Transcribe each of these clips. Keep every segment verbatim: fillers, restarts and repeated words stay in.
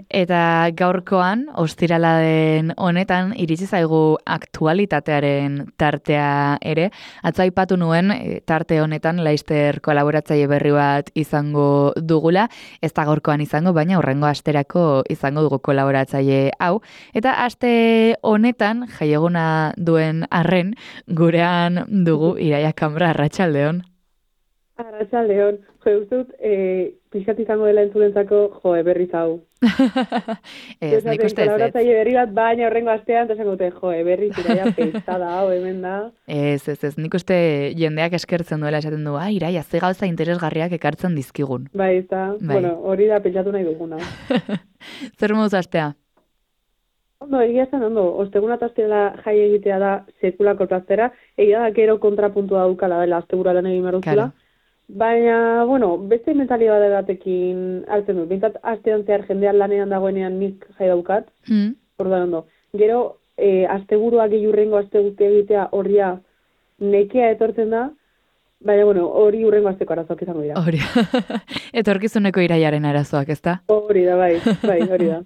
Eta gaurkoan, ostirala den honetan, iritsi zaigu aktualitatearen tartea ere. Atzo aipatu nuen, tarte honetan, Laster kolaboratzaile berri bat izango dugula. Ez da gaurkoan izango, baina hurrengo asterako izango dugu kolaboratzaile hau. Eta aste honetan, jaieguna duen arren, gurean dugu Iraia Kambra, arratsaldeon. Arratsaldeon, jo, uste dut, e, pixkat izango dela entzulentzako, jo, berriz hau. Ez, nik uste ez. Kolaboratzaile berri bat, baina horrengo astean, eta esango dute, jo, berriz Iraia pesada hau, hemen da. Ez, ez, ez, nik uste jendeak eskertzen duela esaten du, ah, Iraia, ze gauza interesgarriak ekartzen dizkigun. Bai, ez da, bai. Bueno, hori da pentsatu nahi duguna. Zer moduz astea? Ondo, egia zen, ondo, osteguna eta astela jai egitea da sekulako plaztera, egia da gero kontrapuntua daukala dela astegura lan egin behar duzula. Baina, bueno, beste mentalidade batekin hartzen dut. Bintzat, astean zehar jendean lanean dagoenean nik jai daukat. Mm. Orduan ondo. Gero, e, asteburua gehiurrengo astegute egitea horria nekea etortzen da, baina, bueno, hori urrengo asteko arazoak izango dira. Hori. Etorkizuneko Iraiaren arazoak, ezta? Hori da, bai, bai, hori da.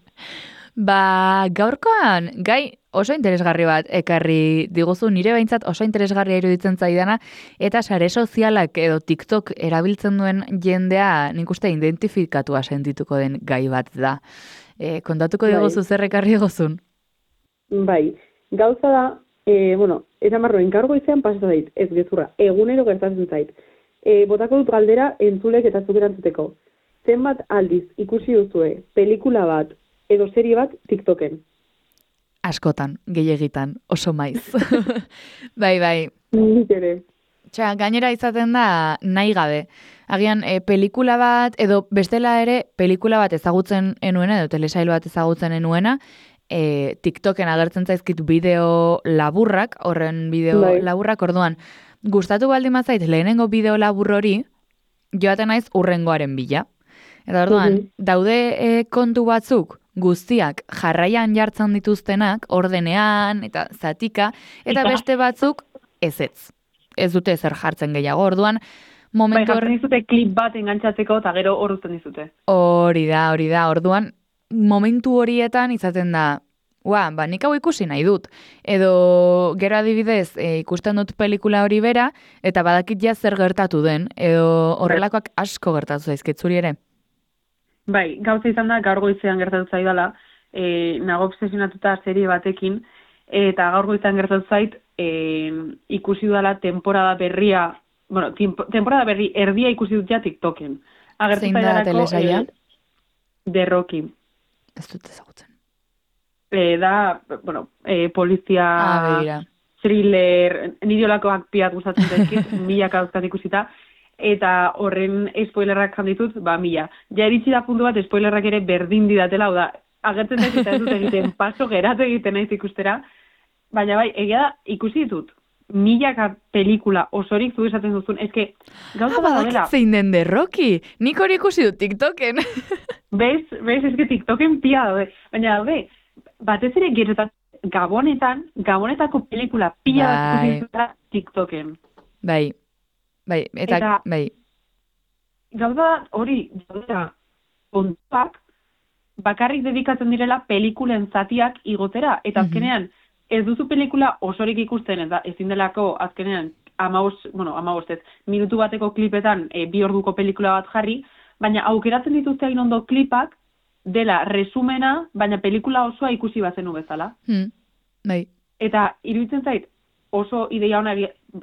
Ba, gaurkoan, gai oso interesgarri bat ekarri diguzu, nire behintzat oso interesgarria iruditzen zaidana, eta sare sozialak edo TikTok erabiltzen duen jendea nik uste identifikatua sentituko den gai bat da. E, kontatuko bai. Diguzu zer ekarri diguzun? Bai, gauza da, e, bueno, eta marroen gaur goizean pasatu zait, ez gezurra, egunero gertatzen zait. E, botako dut galdera entzulek eta zuk erantzuteko. Zenbat aldiz ikusi duzue pelikula bat edo serie bat TikToken? Askotan, gehiagitan, oso maiz. Bai, bai. Nik ere. Txa, gainera izaten da nahi gabe. Agian, e, pelikula bat, edo bestela ere, pelikula bat ezagutzen enuena, edo telesail bat ezagutzen enuena, e, TikToken agertzen zaizkit bideo laburrak, horren bideo bai. laburrak, orduan, gustatu baldin mazait lehenengo bideo labur hori, joaten naiz urrengoaren bila. Eta orduan, mm-hmm. daude e, kontu batzuk, guztiak jarraian jartzen dituztenak, ordenean eta zatika, eta beste batzuk ezetz. Ez dute zer jartzen gehiago, orduan, momentu... Bai, jartzen dizute klip bat engantzatzeko eta gero hor uzten dizute. Hori da, hori da, orduan, momentu horietan izaten da, ua, ba, nik hau ikusi nahi dut. Edo, gero adibidez, e, ikusten dut pelikula hori bera, eta badakit ja zer gertatu den, edo horrelakoak asko gertatu zaizkit zuri ere. Bai, gauza izan da, gaur goizean gertatu zaidala, e, nago obsesionatuta serie batekin, eta gaur goizean gertatu zait, e, ikusi dudala temporada berria, bueno, temporada berri erdia ikusi dut ja TikToken. Zein da telesaila? The Rocky. Ez dut ezagutzen. E, da, bueno, e, polizia, ah, thriller, nidiolakoak piat gustatzen zaizkit, milaka dauzkat ikusita, eta horren spoilerrak janditut, ba, mila. Ja eritzi da puntu bat, spoilerrak ere berdin didatela, hau da, agertzen daiz eta ez dut egiten, paso geratu egiten naiz ikustera, baina bai, egia da, ikusi ditut, milaka pelikula osorik zu esaten duzun, eske, gauza bat dela. Zein den The Rocky, nik hori ikusi dut TikToken. Bez, bez, eske TikToken pia daude, baina daude, batez ere gerotan, gabonetan, gabonetako pelikula pia bat ikusi dut TikToken. Bai. Bai, eta, eta bai. Gauza hori, gauza, kontuak, bakarrik dedikatzen direla pelikulen zatiak igotera. Eta azkenean, ez duzu pelikula osorik ikusten, eta ezin delako azkenean, amabos, bueno, amabos ez, minutu bateko klipetan e, bi orduko pelikula bat jarri, baina aukeratzen dituzte egin ondo klipak, dela resumena, baina pelikula osoa ikusi bazenu bezala. Hmm. Bai. Eta iruditzen zait, oso ideia hona,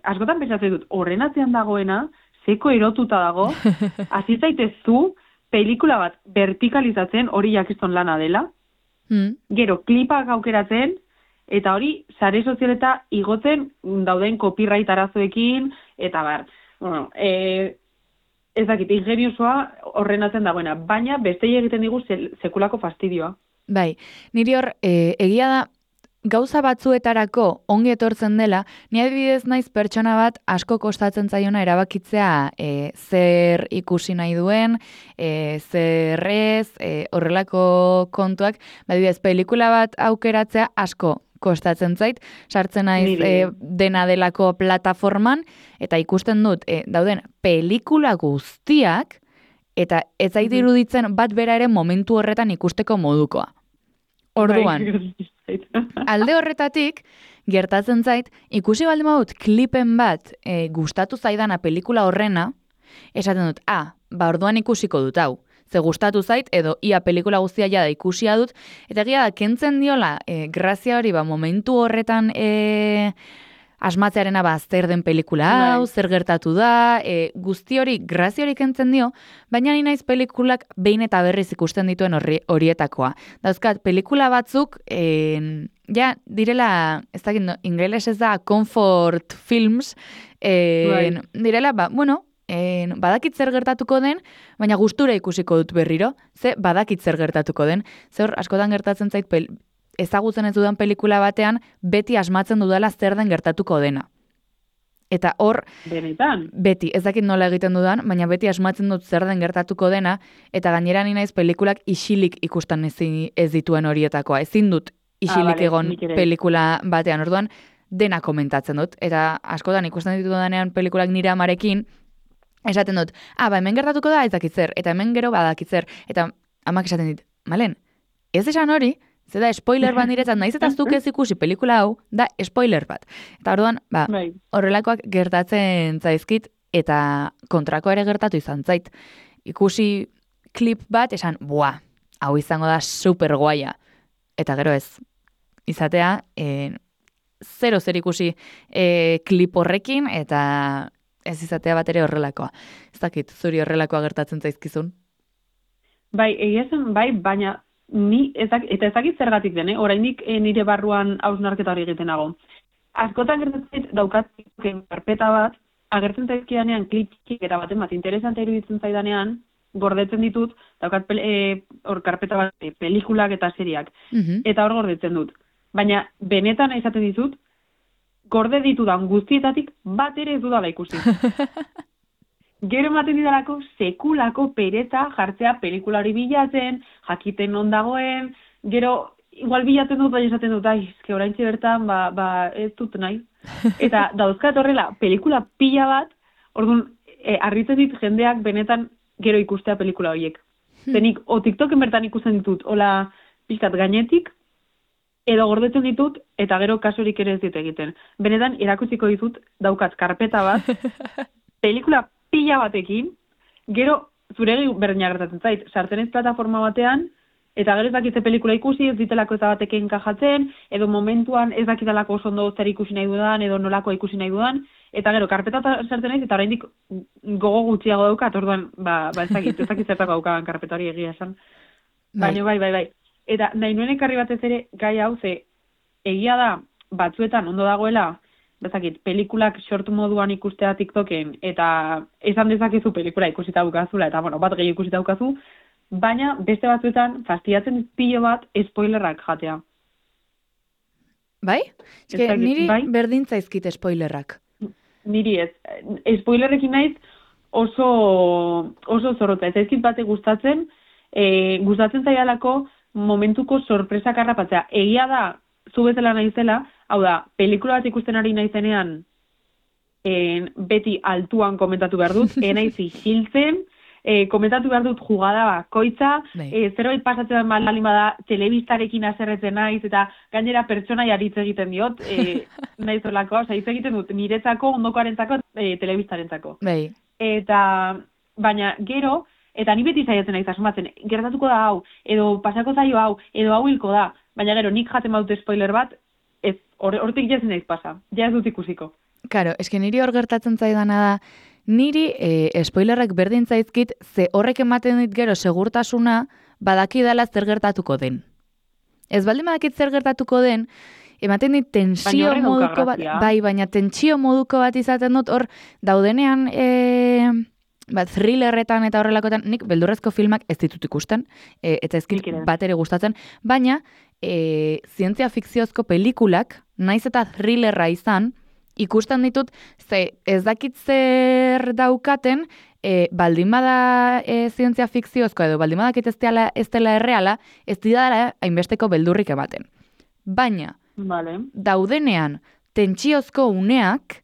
askotan pentsatzen dut, horren atzean dagoena, zeko erotuta dago, hasi zaitezu, pelikula bat vertikalizatzen, hori jakizton lana dela, mm. gero klipak aukeratzen, eta hori sare sozialeta igotzen dauden copyright arazoekin, eta bar, bueno, e, ez dakit, ingeniosoa horren atzean dagoena, baina bestei egiten digu sekulako fastidioa. Bai, niri hor, e, egia da, gauza batzuetarako ongi etortzen dela, ni adibidez naiz pertsona bat asko kostatzen zaiona erabakitzea e, zer ikusi nahi duen, e, zer ez, e, horrelako kontuak, adibidez pelikula bat aukeratzea asko kostatzen zait, sartzen naiz e, dena delako plataforman, eta ikusten dut, e, dauden pelikula guztiak, eta ez zait iruditzen bat bera ere momentu horretan ikusteko modukoa. Orduan, alde horretatik, gertatzen zait, ikusi baldin badut klipen bat e, gustatu zaidana pelikula horrena, esaten dut, ah, ba orduan ikusiko dut hau. Ze gustatu zait, edo ia pelikula guztia jada ikusia dut, eta egia da, kentzen diola, e, grazia hori, ba, momentu horretan e, asmatzearena ba, zer den pelikula hau, zer gertatu da, e, guzti hori, grazia hori kentzen dio, baina ni naiz pelikulak behin eta berriz ikusten dituen horri, horietakoa. Dauzkat, pelikula batzuk, e, ja, direla, ez dakit, no, ingeles ez da, comfort films, e, right. direla, ba, bueno, En, badakit zer gertatuko den, baina gustura ikusiko dut berriro, ze badakit zer gertatuko den. Ze hor, askotan gertatzen zait, pel, ezagutzen ez dudan pelikula batean, beti asmatzen dudala zer den gertatuko dena. Eta hor, benetan. Beti, ez dakit nola egiten dudan, baina beti asmatzen dut zer den gertatuko dena, eta gainera ni naiz pelikulak isilik ikusten ez, ez dituen horietakoa. Ezin dut isilik ah, vale, egon pelikula batean, orduan dena komentatzen dut. Eta askotan ikusten ditu danean pelikulak nire amarekin, esaten dut, ah, ba, hemen gertatuko da ez dakit zer, eta hemen gero badakit zer, eta amak esaten dit, malen, ez esan hori, ze da spoiler bat niretzat, naiz eta zuk ez ikusi pelikula hau, da spoiler bat. Eta orduan, ba, horrelakoak gertatzen zaizkit, eta kontrako ere gertatu izan zait. Ikusi klip bat, esan, bua, hau izango da super guaia. Eta gero ez, izatea, e, zero zer ikusi e, klip horrekin, eta ez izatea bat ere horrelakoa. Ez dakit, zuri horrelakoa gertatzen zaizkizun? Bai, egia zen, bai, baina ni ezak, eta ezakit zergatik den, eh? Oraindik eh, nire barruan hausnarketa hori egiten nago. Askotan gertatzen daukat karpeta bat, agertzen zaizkidanean klikik eta baten bat interesante iruditzen zaidanean, gordetzen ditut, daukat pel, e, hor karpeta bat e, pelikulak eta seriak. Mm-hmm. Eta hor gordetzen dut. Baina benetan izaten ditut, gorde ditudan guztietatik bat ere ez dudala ikusi. Gero ematen didalako sekulako pereza jartzea pelikula hori bilatzen, jakiten non dagoen, gero igual bilatzen dut, bai esaten dut, ai, eske oraintxe bertan, ba, ba, ez dut nahi. Eta dauzkat horrela, pelikula pila bat, orduan, e, harritzen dit jendeak benetan gero ikustea pelikula horiek. Zenik, o TikToken bertan ikusten ditut, hola pixkat gainetik, edo gordetzen ditut, eta gero kasurik ere ez dit egiten. Benetan, erakutsiko ditut, daukat karpeta bat, pelikula pila batekin, gero zuregi berdina gertatzen zait, sartzen ez plataforma batean, eta gero ez dakitze pelikula ikusi, ez ditelako ez batekin enkajatzen, edo momentuan ez dakitalako oso ondo zer ikusi nahi dudan, edo nolakoa ikusi nahi dudan, eta gero karpeta sartzen naiz, eta oraindik gogo gutxiago daukat, orduan, ba, ba ez dakit, ez dakit zertako daukagan karpeta hori egia esan. Baina bai, bai, bai. Eta nahi nuen ekarri batez ere gai hau, ze egia da batzuetan ondo dagoela, bezakit, pelikulak short moduan ikustea TikToken, eta esan dezakezu pelikula ikusita daukazula, eta bueno, bat gehi ikusita daukazu, baina beste batzuetan fastidiatzen pilo bat spoilerrak jatea. Bai? Eske niri bai? Berdin zaizkit spoilerrak. Niri ez. Spoilerrekin naiz oso, oso zorrotza. Ez zaizkit bate gustatzen, e, gustatzen zaialako momentuko sorpresak harrapatzea. Egia da, zu bezala naizela, hau da, pelikula bat ikusten ari naizenean en, beti altuan komentatu behar dut, enaiz isiltzen, e, komentatu behar dut jugada bakoitza, e, zerbait pasatzen malin bada telebistarekin azerretzen naiz, eta gainera pertsonai aritz egiten diot, e, naiz horlako, oza, hitz egiten dut, niretzako, ondokoarentzako, e, telebistarentzako. Bai. Eta, baina gero, eta ni beti zaiatzen naiz asmatzen, gertatuko da hau, edo pasako zaio hau, edo hau hilko da, baina gero nik jaten badute spoiler bat, ez, hortik or, jazen naiz pasa, ja ez dut ikusiko. Karo, eske niri hor gertatzen zaidana da, niri e, spoilerrak berdin zaizkit, ze horrek ematen dit gero segurtasuna badakidala zer gertatuko den. Ez baldin badakit zer gertatuko den, ematen dit tensio moduko bat, bai, baina tensio moduko bat izaten dut, hor daudenean... E, bat thrillerretan eta horrelakoetan, nik beldurrezko filmak ez ditut ikusten, e, eta ezkit bat ere gustatzen, baina e, zientzia fikziozko pelikulak, naiz eta thrillerra izan, ikusten ditut, ze ez dakit zer daukaten, e, baldin bada e, zientzia fikziozko edo baldin badakit ez dela, ez dela erreala, ez dira hainbesteko beldurrik ematen. Baina, vale. Daudenean, tentsiozko uneak,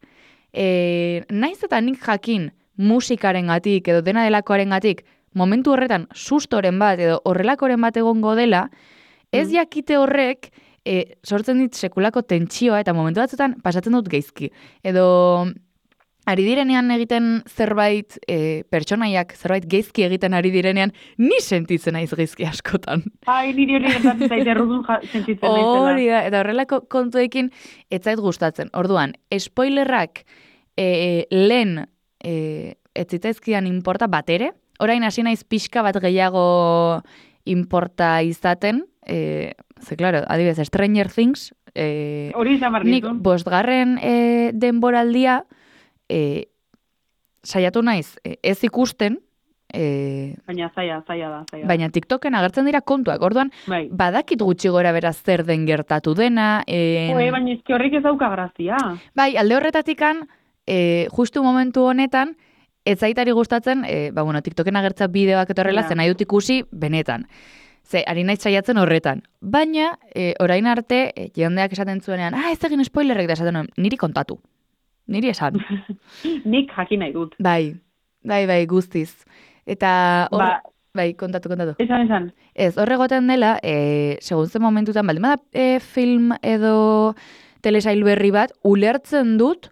e, naiz eta nik jakin, musikaren gatik edo dena delakoaren gatik momentu horretan sustoren bat edo horrelakoren bat egongo dela, ez jakite horrek e, sortzen dit sekulako tentsioa eta momentu batzutan pasatzen dut geizki. Edo ari direnean egiten zerbait, e, pertsonaiak zerbait geizki egiten ari direnean, ni sentitzen naiz geizki askotan. Ai, niri hori gertatzen zaite errudun sentitzen naizela. Hori da, eta horrelako kontuekin ez zait gustatzen. Orduan, spoilerrak e, lehen e, ez zitzaizkidan inporta bat ere, orain hasi naiz pixka bat gehiago inporta izaten, e, ze, claro, adibidez, Stranger Things, e, hori izan behar nik dizun. bostgarren e, denboraldia, E, saiatu naiz e, ez ikusten, e, Baina zaila, zaila da, zaila. baina TikToken agertzen dira kontuak. Orduan, Bai. badakit gutxi gora bera zer den gertatu dena. E, Oe, baina ezki horrik ez dauka grazia. bai, alde horretatikan, e, justu momentu honetan, ez zaitari gustatzen, e, ba, bueno, TikToken agertza bideoak eta horrela, Ja. zen nahi dut ikusi benetan. Ze, ari naiz saiatzen horretan. Baina, e, orain arte, e, jendeak esaten zuenean, ah, ez egin spoilerrek da esaten nuen, niri kontatu. Niri esan. Nik jakin nahi dut. Bai, bai, bai, guztiz. Eta hor, Ba, bai, kontatu, kontatu. esan, esan. Ez, horregoten dela, e, segun zen momentutan, baldin bada e, film edo telesail berri bat, ulertzen dut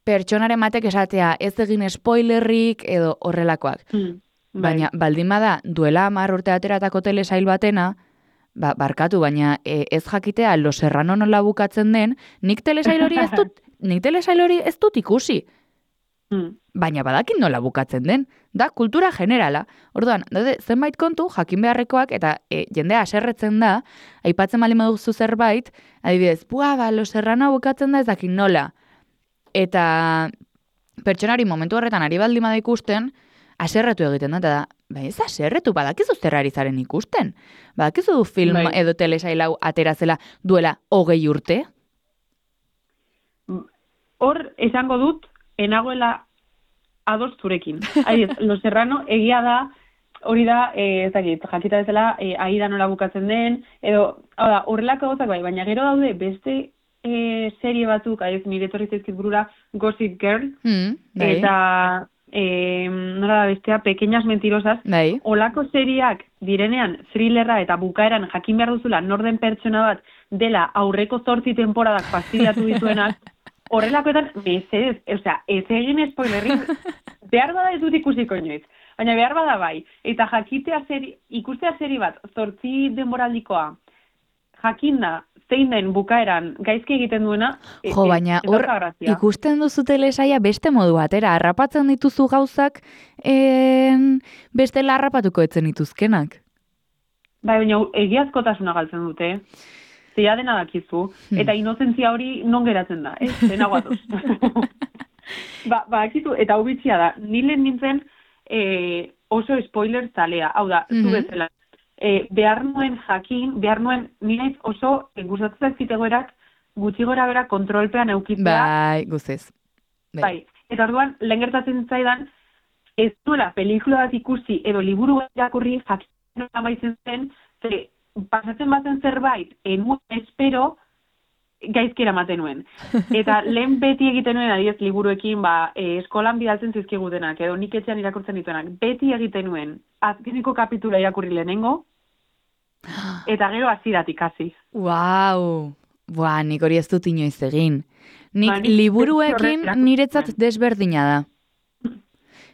pertsonaren batek esatea ez egin spoilerrik edo horrelakoak. Hmm, bai. Baina, baldin bada, duela hamar urte ateratako telesail batena, ba, barkatu, baina e, ez jakitea Los Serrano nola bukatzen den, nik telesail hori ez dut, nik telesail hori ez dut ikusi. Hmm. Baina badakit nola bukatzen den, da kultura generala. Orduan, daude, zenbait kontu jakin beharrekoak eta e, jendea aserretzen da, aipatzen bali baduzu zerbait, adibidez, bua, ba, Los Serrano bukatzen da ez dakit nola. Eta pertsonari momentu horretan ari baldin bada ikusten, aserretu egiten da, eta da, ba ez aserretu, badakizu zer ari zaren ikusten. Badakizu film Bai. edo telesail hau aterazela duela hogei urte. Hor, esango dut, enagoela ados zurekin. Aiz, Los Serrano egia da, hori da, e, ez dakit, jakita bezala, e, aida nola bukatzen den, edo, hau da, horrelako gozak bai, baina gero daude beste e, serie batzuk, aiz, nire etorri zaizkit burura, Gossip Girl, Hmm, bai, eta, e, nola da bestea, Pequeñas Mentirosas, bai. olako seriak direnean thrillerra eta bukaeran jakin behar duzula norden pertsona bat dela aurreko zortzi temporadak fastidiatu dituenak, horrelakoetan, mesedez, osea, ez egin spoilerrik, behar bada ez dut ikusiko inoiz, baina behar bada bai, eta jakitea seri, ikustea seri bat, zortzi denboraldikoa, jakinda, zein den bukaeran gaizki egiten duena, e- Jo, e- baina ez hor dauka grazia. ikusten duzu telesaia beste modu batera, harrapatzen dituzu gauzak en, bestela harrapatuko etzen dituzkenak. Bai, baina egiazkotasuna galtzen dute, zeia dena dakizu, Hmm. eta inozentzia hori non geratzen da, ez? Dena guatuz. ba, ba, akizu, eta hau bitxia da, nilen nintzen e, oso spoiler zalea, hau da, zu Mhm. bezala. E, behar nuen jakin, behar nuen, nire oso e, gustatzen zitegoerak gutxi gora bera kontrolpean eukitzea. Bai, guztiz. Bai. Eta orduan, lehen gertatzen zaidan, ez duela pelikula bat ikusi edo liburu bat irakurri jakin amaitzen zen, ze pasatzen bazen zerbait, enuen espero, gaizki eramaten nuen. Eta lehen beti egiten nuen, adiez, liburuekin, ba, e, eskolan bidaltzen zizkigutenak, edo nik etxean irakurtzen dituenak, beti egiten nuen, azkeneko kapitula irakurri lehenengo, eta gero hasieratik hasi. Wow. Buah, nik hori ez dut inoiz egin. Nik Ba, nik liburuekin horrek niretzat desberdina da.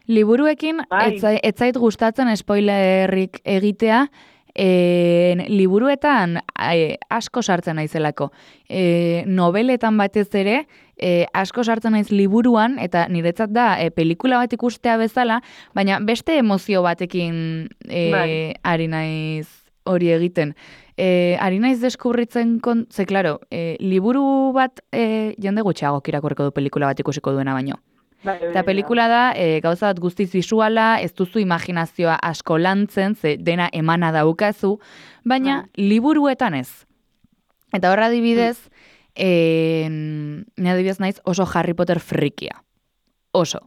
Liburuekin Bai. ez zai- ez zait gustatzen spoilerrik egitea, en, liburuetan e, asko sartzen naizelako. E, noveletan batez ere, e, asko sartzen naiz liburuan, eta niretzat da e, pelikula bat ikustea bezala, baina beste emozio batekin e, Bai. ari naiz hori egiten. E, ari naiz deskubritzen, kon... ze, klaro, e, liburu bat e, jende gutxiago irakurriko du pelikula bat ikusiko duena baino. Bai, bai, Eta bai. pelikula da, e, gauza bat guztiz visuala, ez duzu imaginazioa asko lantzen, ze dena emana daukazu, baina liburuetan ez. Eta horra adibidez, e, ne adibidez naiz oso Harry Potter frikia. Oso.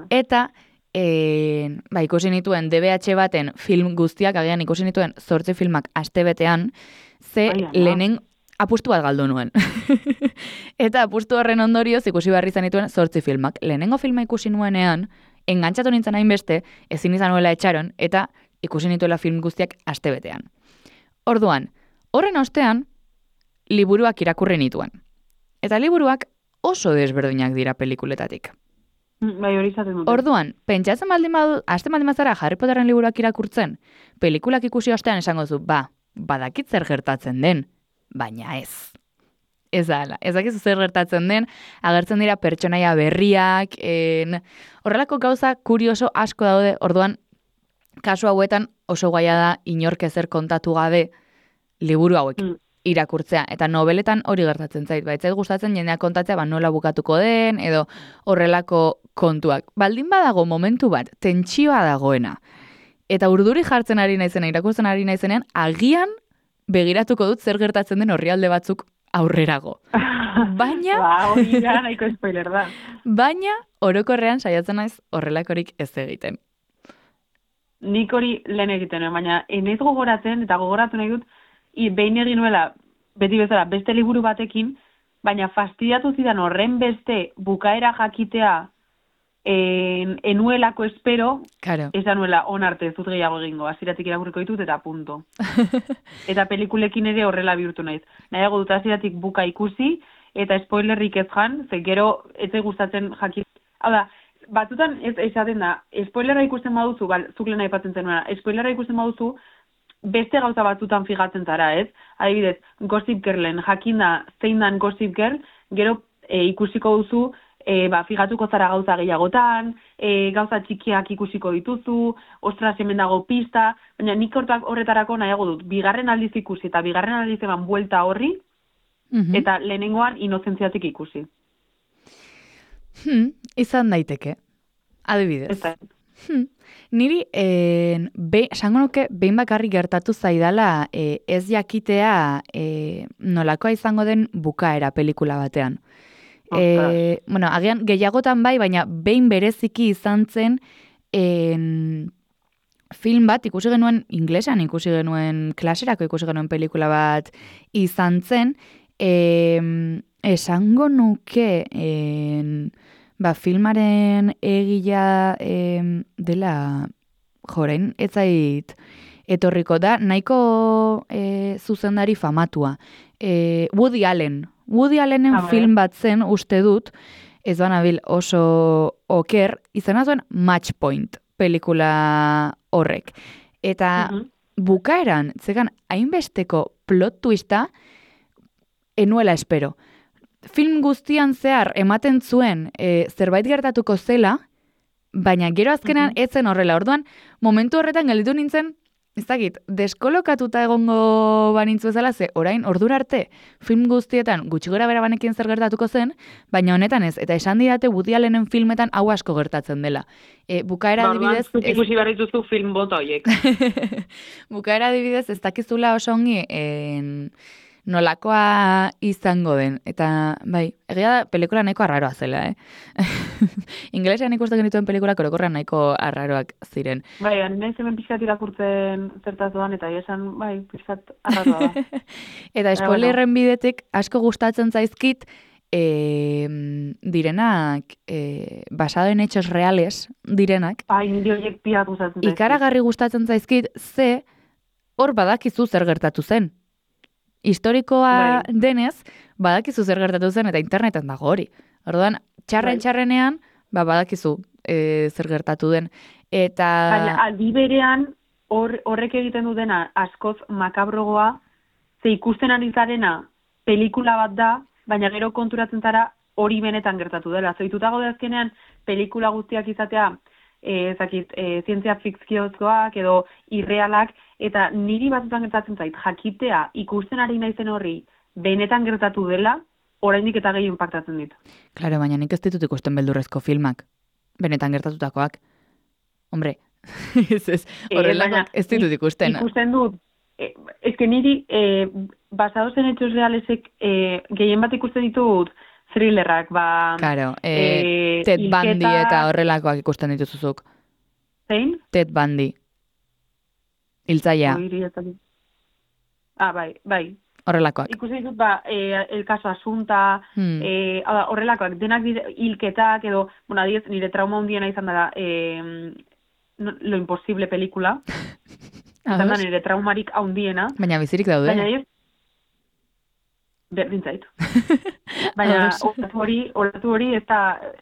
Eta, e, ba, ikusi nituen D B H baten film guztiak, agian ikusi nituen zortzi filmak astebetean, ze Ai, ama. lehenen apustu bat galdu nuen. Eta apustu horren ondorioz ikusi behar izan dituen zortzi filmak. Lehenengo filma ikusi nuenean, engantzatu nintzen hainbeste, ezin izan nuela etxaron, eta ikusi nituela film guztiak astebetean. Orduan, horren ostean, liburuak irakurri nituen. Eta liburuak oso desberdinak dira pelikuletatik. Bai, hori izaten dute. Orduan, pentsatzen baldin badu, hasten baldin bazara Harry Potteren liburuak irakurtzen, pelikulak ikusi ostean esango zu, ba, badakit zer gertatzen den, baina ez. Ez da, ez dakizu zer gertatzen den, agertzen dira pertsonaia berriak, en, horrelako gauza kurioso asko daude, orduan, kasu hauetan oso gaia da inork ezer kontatu gabe liburu hauek mm. irakurtzea. Eta nobeletan hori gertatzen zait. Baitzait gustatzen jendeak kontatzea ba, nola bukatuko den, edo horrelako kontuak. Baldin badago momentu bat, tentsioa dagoena. Eta urduri jartzen ari naizena, irakurtzen ari naizenean, agian begiratuko dut zer gertatzen den orrialde batzuk aurrerago. Baina... ba, hori da, nahiko spoiler da. Baina, orokorrean saiatzen naiz horrelakorik ez egiten. Nik hori lehen egiten, baina enez gogoratzen, eta gogoratu nahi dut, i, behin egin nuela, beti bezala, beste liburu batekin, baina fastidiatu zidan horren beste bukaera jakitea en, enuelako espero, claro. esan nuela onarte ez dut gehiago egingo, hasieratik irakurriko ditut eta punto. Eta pelikulekin ere horrela bihurtu naiz. Nahiago dut hasieratik buka ikusi, eta spoilerrik ez jan, ze gero ez gustatzen jakit. Hau da, batzutan ez esaten da, spoilerra ikusten baduzu, bal, zuk lehen aipatzen zenuena, spoilerra ikusten baduzu, beste gauza batzutan fijatzen zara, ez? Adibidez, Gossip Girlen, jakinda zein dan Gossip Girl, gero e, ikusiko duzu, e, ba, figatuko zara gauza gehiagotan, e, gauza txikiak ikusiko dituzu, ostras hemen dago pista, baina nik hortak horretarako nahiago dut, bigarren aldiz ikusi eta bigarren aldiz eman buelta horri, mm-hmm. eta lehenengoan inozentziatik ikusi. Hmm, izan daiteke, adibidez. Hmm. Niri, eh, be, sango nuke, behin bakarrik gertatu zaidala eh, ez jakitea eh, nolakoa izango den bukaera pelikula batean. Eh, bueno, agian gehiagotan bai, baina behin bereziki izan zen en, film bat, ikusi genuen inglesan, ikusi genuen klaserako, ikusi genuen pelikula bat izan zen, eh, esango nuke... En, Ba, filmaren egila eh, dela, jorein, ez zait etorriko da, nahiko eh, zuzendari famatua. Eh, Woody Allen. Woody Allenen ah, film bat zen, uste dut, ez banabil oso oker, izena zuen Match Point pelikula horrek. Eta uh-huh. bukaeran, zegan, hainbesteko plot twista, enuela espero. Film guztian zehar ematen zuen e, zerbait gertatuko zela, baina gero azkenan mm-hmm. etzen horrela. Orduan, momentu horretan gelditu nintzen, ez dakit, deskolokatuta egongo banintzu bezala, ze orain ordura arte film guztietan gutxi gora bera banekin zer gertatuko zen, baina honetan ez, eta esan didate Woody Allenen filmetan hau asko gertatzen dela. E, bukaera adibidez... Orduan, ikusi behar dituzu film bota horiek. Bukaera adibidez, ez dakizula oso ongi... En... nolakoa izango den. Eta, bai, egia da, pelikula nahiko arraroa zela, eh? Ingelesean ikusten genituen pelikula korokorrean nahiko arraroak ziren. Bai, nahi zemen pixkat irakurtzen zertaz doan, eta esan, bai, pixkat arraroa da. Eta spoilerren bidetik asko gustatzen zaizkit, e, direnak, e, basado en hechos reales, direnak. Bai, nire horiek pia gustatzen zaizkit. Ikaragarri gustatzen zaizkit, ze, hor badakizu zer gertatu zen. Historikoa Bai. denez, badakizu zer gertatu zen eta interneten dago hori. Orduan, txarren txarrenean, ba, badakizu e, zer gertatu den. Eta... Baina, aldi berean, hor, horrek egiten du dena askoz makabrogoa, ze ikusten ari zarena pelikula bat da, baina gero konturatzen zara hori benetan gertatu dela. Zoituta gaude azkenean, pelikula guztiak izatea, e, zakit, e, zientzia fikziozkoak edo irrealak, eta niri batzutan gertatzen zait, jakitea ikusten ari naizen horri benetan gertatu dela, oraindik eta gehi impactatzen dit. Claro, baina nik ez ditut ikusten beldurrezko filmak, benetan gertatutakoak. Hombre, ez ez, horrelak ez ditut ikusten. Ikusten dut, e, ez que niri, e, basados en hechos realesek, e, gehien bat ikusten ditut thrillerrak, ba... Claro, e, e, Ted ilketa... Bundy eta horrelakoak ikusten dituzuzuk. Zein? Ted Bundy. Hiltzaia. Ah, bai, bai. horrelakoak. Ikusi ditut, ba, e, el caso Asunta, Hmm. e, horrelakoak, denak dire, hilketak, edo, bueno, adiez, nire trauma hundiena izan dara, e, no, Lo Imposible pelikula, izan da nire traumarik haundiena. Baina bizirik daude. Baina ez, berdin zait. Baina olatu hori, olatu hori ez da,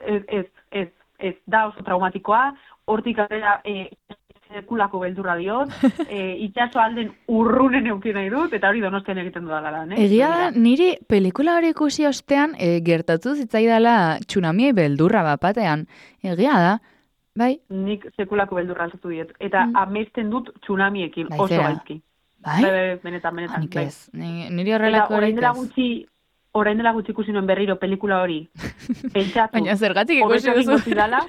ez, ez, ez, ez da oso traumatikoa, hortik aurrera e, sekulako beldurra diot, e, itxaso alden urrunen eukin nahi dut, eta hori Donostian egiten dudala lan, eh? Egia da, niri pelikula hori ikusi ostean e, gertatu zitzaidala tsunamiei beldurra bapatean. Egia da, bai? Nik sekulako beldurra alzatu diet. Eta mm. amesten dut tsunamiekin, Bai, oso zera. gaizki. Bai? Bai, bai, benetan, benetan. Hanik Bai. ez, Ni- niri horrelako Eta orain horik dela ez. gutxi, orain dela gutxi ikusi nuen berriro pelikula hori. Pentsatu. Baina zergatik ikusi hobeto egingo duzu? zidala.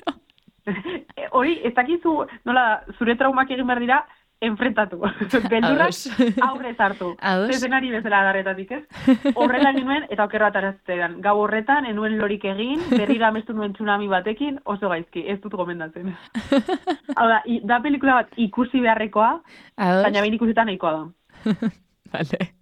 Hori, ez dakizu, nola, zure traumak egin behar dira, enfrentatu. Beldurrak Ados. aurrez hartu. Ados. Zezenari bezala adarretatik, ez? Horrela nuen, eta okerro ataraztean. Gau horretan, enuen lorik egin, berriro amestu nuen tsunami batekin, oso gaizki, ez dut gomendatzen. Hau da, i- da pelikula bat ikusi beharrekoa, Ados? baina behin ikusita nahikoa da. Vale.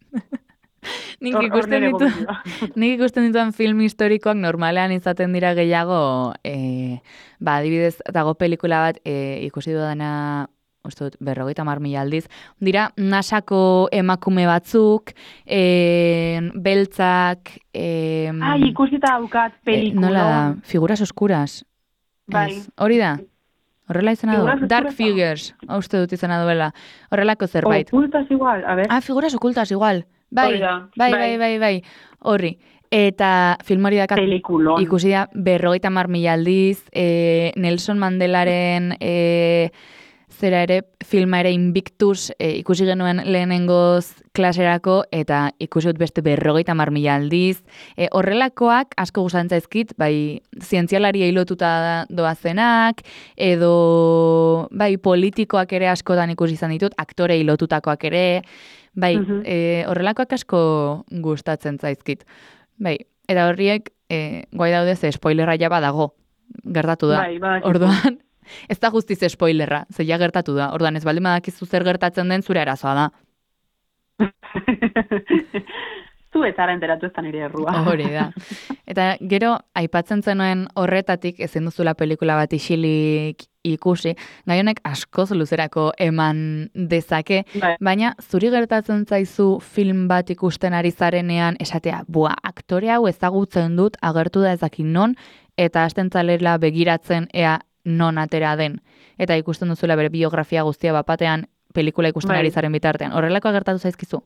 Nik Hor- hor ikusten nire ditu, gomendioa. nik ikusten dituan film historikoak normalean izaten dira gehiago, e, ba, adibidez, dago pelikula bat e, ikusi dudana, uste dut, berrogeita hamar mila aldiz, dira nasako emakume batzuk, e, beltzak, e, Ai, ikusita daukat pelikula. nola da, figuras oscuras. Bai. Ez, hori da. Horrela izena du. Figuras Dark oscuras. Figures, hau uste dut izena duela. Horrelako zerbait. Ocultas igual, a ver. Ah, figuras ocultas igual. Bai, Hori da, bai, bai, bai. bai, bai. Horri. Eta film hori dakat Pelikulon. ikusi da berrogeita hamar mila aldiz, e, Nelson Mandelaren e, zera ere, filma ere Invictus e, ikusi genuen lehenengoz klaserako, eta ikusi dut beste berrogeita hamar mila aldiz. E, horrelakoak asko gustatzen zaizkit, bai, zientzialari lotuta doazenak, edo bai, politikoak ere askotan ikusi izan ditut, aktorei lotutakoak ere, bai, Mhm. e, horrelakoak asko gustatzen zaizkit. Bai, eta horriek e, guai daude ze spoilerra ja badago, gertatu da. Bai, badakizu. Orduan, ez da guztiz spoilerra, ze ja gertatu da. Orduan, ez baldin badakizu zer gertatzen den zure arazoa da. Zu ez zara enteratu ez da nire errua. Hori da. Eta gero, aipatzen zenuen horretatik ezin duzula pelikula bat isilik ikusi, gai honek askoz luzerako eman dezake, Bai. baina zuri gertatzen zaizu film bat ikusten ari zarenean esatea, bua, aktore hau ezagutzen dut, agertu da ezakin non, eta hasten zalela begiratzen ea non atera den. Eta ikusten duzula bere biografia guztia bapatean pelikula ikusten Bai. ari zaren bitartean. Horrelako gertatu zaizkizu?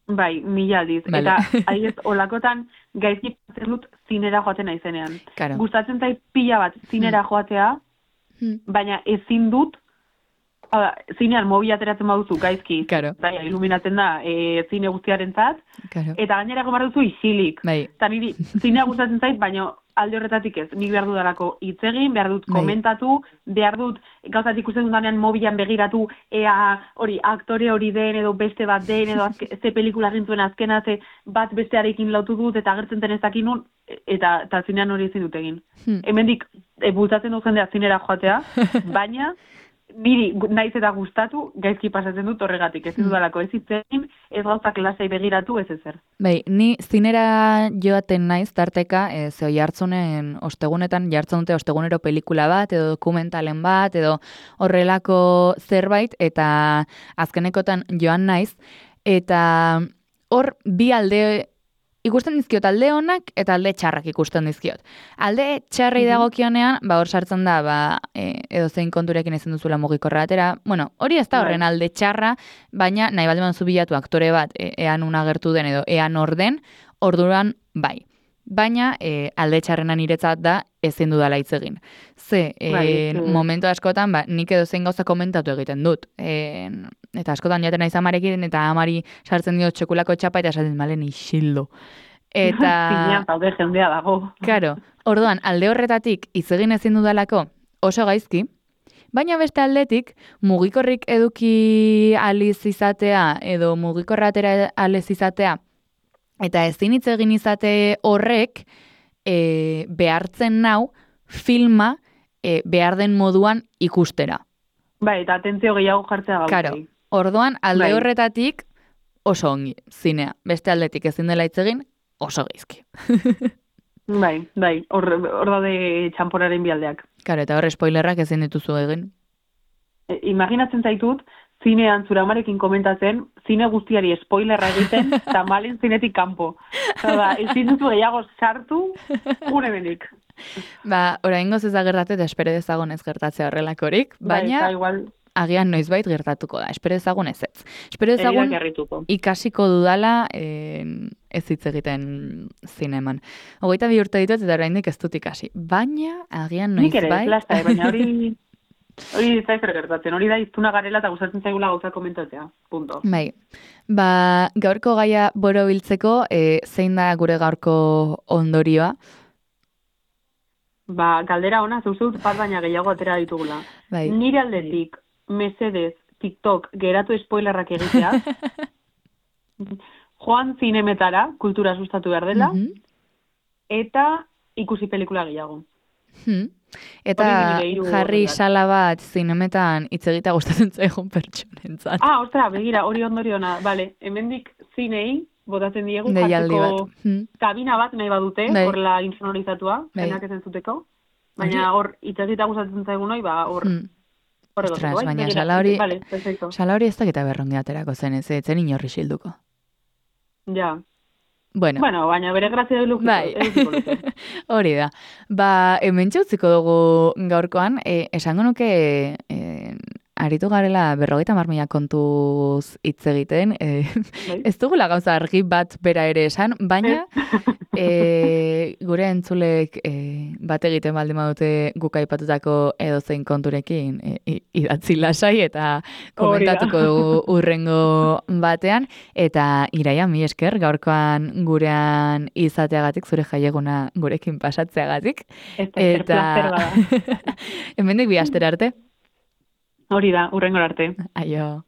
Bai, mila aldiz. Vale. Eta adibidez, olakotan gaizki pasatzen dut zinera joaten naizenean. Claro. Gustatzen zait pila bat zinera joatea, Hmm. baina ezin dut, hau da, zinean mobi ateratzen baduzu gaizki, Claro. bai, iluminatzen da e, zine guztiaren zat, Claro. eta gainera gomar duzu isilik. Bai. Eta niri zinea gustatzen zait, baina alde horretatik ez. Nik behar dudalako hitz egin, behar dut Bai. komentatu, behar dut gauzat ikusten dudanean mobilan begiratu, ea hori aktore hori den, edo beste bat den, edo azke, ze pelikula egin zuen azkena, ze bat bestearekin lautu dut, eta agertzen den ez dakin nun, eta, eta zinean hori ezin dut egin. Hmm. Hemendik e, bultzatzen du jendea zinera joatea, baina niri gu- naiz eta gustatu gaizki pasatzen dut horregatik. Ez dudalako ez hitz egin, ez gauzak lasai begiratu, ez ezer. Bai, ni zinera joaten naiz tarteka, e, ze jartzunen ostegunetan, jartzen dute ostegunero pelikula bat, edo dokumentalen bat, edo horrelako zerbait, eta azkenekotan joan naiz, eta hor bi alde ikusten dizkiot alde onak eta alde txarrak ikusten dizkiot. Alde txarrei dagokionean, ba hor sartzen da, ba, e, edo zein konturekin ezin duzula mugikorra atera. Bueno, hori ez da horren alde txarra, baina nahi baldin baduzu bilatu aktore bat, e, ean agertu den edo ean orden, orduan bai. Baina e, alde txarrena niretzat da ezin dudala hitz egin. Ze, e, Bai, mm. momentu askotan, ba, nik edo zein gauza komentatu egiten dut. E, eta askotan jaten naiz amarekin, eta amari sartzen dio txekulako txapa, eta esaten malen isildo. Eta... Zinean zaude jendea dago. Claro, orduan, alde horretatik hitz egin ezin dudalako oso gaizki, baina beste aldetik, mugikorrik eduki aliz izatea, edo mugikorra atera aliz izatea, eta ezin hitz egin izate horrek, e, behartzen nau filma e, behar den moduan ikustera. Bai, eta atentzio gehiago jartzea gauzei. Claro, orduan, alde Bai. horretatik, oso ongi, zinea. Beste aldetik ezin dela hitz egin, oso geizki. Bai, bai, hor, hor daude txanporaren bialdeak. Karo, eta hor spoilerrak ezin dituzu egin. E, imaginatzen zaitut, zinean zure amarekin komentatzen, zine guztiari spoilerra egiten, tamalen zinetik kanpo. Oda, ezin duzu gehiago sartu, une benik. Ba, oraingoz ez da gertatu eta espero dezagun ez gertatzea horrelakorik, baina bai, igual, agian noizbait gertatuko da. Espero dezagun ez ez. Espero dezagun ikasiko dudala eh, ez hitz egiten zineman. Hogeita bi urte ditut eta oraindik ez dut ikasi. Baina agian noizbait... Nik ere, plasta, baina hori... Hori ez da ezer gertatzen, hori da iztuna garela eta gustatzen zaigula gauza komentatzea, punto. Bai, ba, gaurko gaia borobiltzeko, e, zein da gure gaurko ondorioa? Ba, galdera ona, zeuzut bat baina gehiago atera ditugula. Bai. Nire aldetik, mesedez, TikTok, geratu spoilerrak egitea, joan zinemetara, kultura sustatu behar dela, Mhm. eta ikusi pelikula gehiago. Hmm. Eta Hori hiru jarri horretan. sala bat zinemetan hitz egitea gustatzen zaigun pertsonentzat. Ah, ostra, begira, hori ondoriona, bale, hemendik zinei, botatzen diegu, Deialdi jartzeko bat. Hmm. kabina bat nahi badute, Bai. horrela insonorizatua, Bai. enak ezen zuteko, baina hor, itxasita gustatzen zaigun hoi, ba, hor, Hmm. horrego Ostras, bai, baina begira, sala hori- Vale, perfecto. Sala hori ez dakita berrongi aterako zen, ez etzen inorri xilduko. Ja. Bueno, Bueno, baina bere grazia du bai, hori da. Ba, hemen utziko dugu gaurkoan, e, esango nuke e, aritu garela berrogeita hamar mila kontuz hitz egiten, e, Bai. ez dugula gauza argi bat bera ere esan, baina e, gure entzulek e, bat egiten baldin badute guk aipatutako edozein konturekin e, i- idatzi lasai eta komentatuko dugu urrengo batean, eta Iraia, mi esker gaurkoan gurean izateagatik, zure jaieguna gurekin pasatzeagatik, Ez da, zer placer bada. hemendik bi astera arte. Hori da, urrengor arte. Aio.